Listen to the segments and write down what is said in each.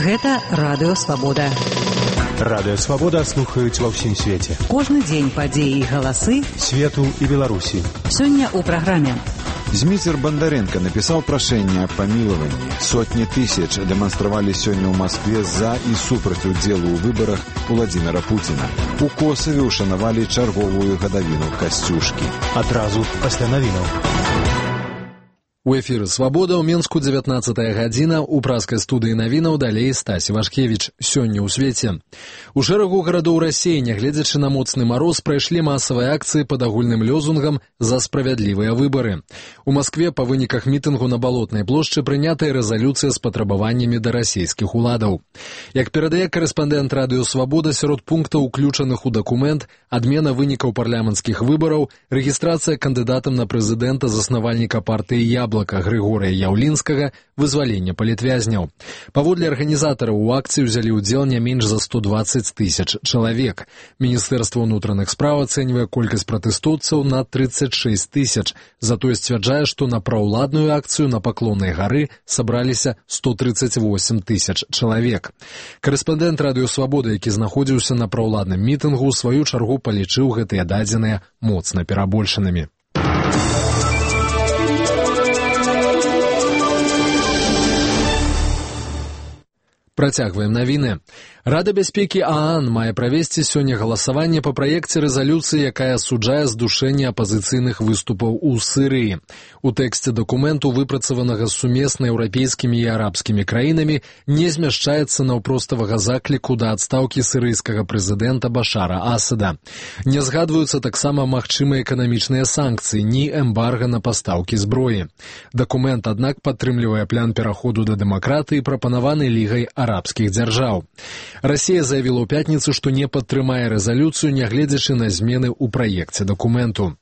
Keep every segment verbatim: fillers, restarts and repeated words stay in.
Гэта Радыё Свабода. Радыё Свабода слухаюць ва ўсім свеце. Кожны дзень падзеі і галасы свету і Беларусі. Сёння ў праграме. Зміцер Бандаренко написал прошение о помиловании. Сотни тысяч демонстрировали сегодня в Москве за и супраць удзелу ў выборах Владимира Путина. У Косове ушанавалі чарговую гадавіну Касцюшкі. Адразу пасля навінаў. У эфіры «Свабода» ў Менску дзевятнаццатая гадзіна, у праскай студыі навінаў далей Стась Вашкевіч. Сёння ў свеце. У шэрагу гарадоў Расіі, нягледзячы на моцны мароз, прайшлі масавыя акцыі пад агульным лёзунгам «За справядлівыя выбары». У Маскве па выніках мітынгу на Балотнай плошчы прынятая рэзалюцыя з патрабаваннямі да расійскіх уладаў. Як перадае карэспандэнт Радыё Свабода, сярод пунктаў, уключаных у дакумент, адмена вынікаў парламенцкіх выбараў, рэгістрацыя кандыдатам на прэзідэнта заснавальніка партыі «Яблока» Григория Яўлінскага, вызвалення палітвязняў. Паводле арганізатараў у акцыі ўзялі ўдзел не менш за сто дваццаць тысяч чалавек. Міністэрства ўнутраных спраў ацэньвае колькасць пратэстоўцаў на тридцать шесть тысяч, затое сцвярджае, што на праўладную акцыю на Паклоннай гары сабраліся сто тридцать восемь тысяч чалавек. Карэспандэнт Радыё Свабода, які знаходзіўся на праўладным мітынгу, у сваю чаргу палічыў гэтыя дадзеныя моцна перабольшанымі. Працягваем навіны. Рада бяспекі ААН мае правесці сёння галасаванне па праекце рэзалюцыі, якая асуджае здушэнне апазіцыйных выступаў у Сірыі. У тэксце дакументу, выпрацаванага сумесна еўрапейскімі і арабскімі краінамі, не змяшчаецца наўпроставага закліку да адстаўкі сірыйскага прэзідэнта Башара Асада. Не згадваюцца таксама магчымыя эканамічныя санкцыі, ні эмбарга на пастаўкі зброі. Дакумент, аднак, падтрымлівае план пераходу да дэмакратыі, прапанаваны Лігай арабскіх дзяржаў. Расія заявіла ў пятніцу, што не падтрымае рэзалюцыю, нягледзячы на змены ў праекце дакументу.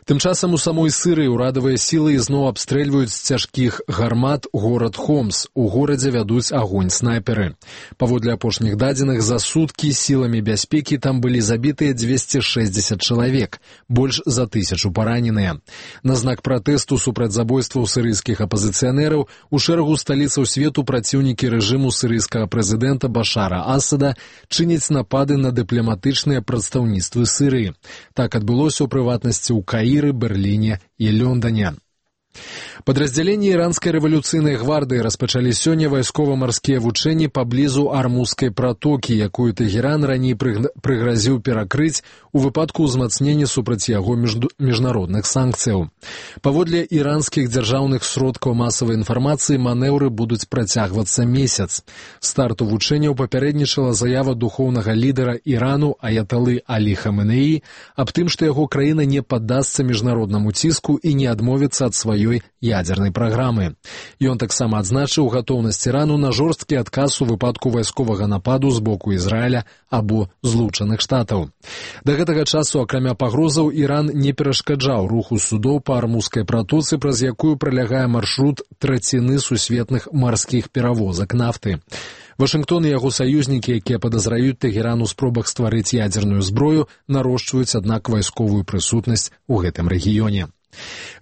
Тым часам у самой Сірыі ўрадавыя сілы ізноў абстрэльваюць з цяжкіх гармат горад Хомс. У горадзе вядуць агонь снайперы. Паводле апошніх дадзеных, за суткі сіламі бяспекі там былі забітыя дзвесце шэсцьдзесят чалавек, больш за тысячу параненыя. На знак пратэсту супраць забойстваў сірыйскіх апазіцыянераў у шэрагу сталіцаў свету праціўнікі рэжыму сірыйскага прэзідэнта Башара Асада чыняць напады на дыпламатычныя прадстаўніцтвы Сірыі. Так адбылося ў прыватнасці ў Каіры, Берліне і Лондоне. Падраздзяленні іранскай рэвалюцыйнай гвардыі распачалі сёння вайскова-марскія вучэнні паблізу Армузскай пратокі, якую Тэгеран раней прыгразіў перакрыць у выпадку ўзмацнення супраць яго міжнародных санкцыяў. Паводле іранскіх дзяржаўных сродкаў масавай інфармацыі, манеўры будуць працягвацца месяц. Старту вучэнняў папярэднічала заява духоўнага лідара Ірану аяталы Алі Хаменеі аб тым, што яго краіна не паддасца міжнароднаму ціску і не адмовіцца ад сваёй ядзернай праграмы. Ён таксама адзначыў гатоўнасць Ірану на жорсткі адказ у выпадку вайсковага нападу з боку Ізраіля або Злучаных Штатаў. Да гэтага часу, акрамя пагрозаў, Іран не перашкаджаў руху судоў па Армузскай пратоцы, праз якую пралягае маршрут траціны сусветных марскіх перавозак нафты. Вашынгтон і яго саюзнікі, якія падазраюць Тэгеран у спробах стварыць ядзерную зброю, нарошчваюць, аднак, вайсковую прысутнасць у гэтым рэгіёне.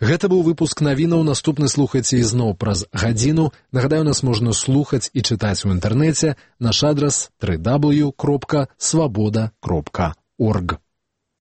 Гэта быў выпуск навінаў, наступны слухайце ізноў праз гадзіну. Нагадаю, нас можна слухаць і чытаць у інтэрнэце. Наш адрас дабл ю дабл ю дабл ю кропка свабода кропка орг.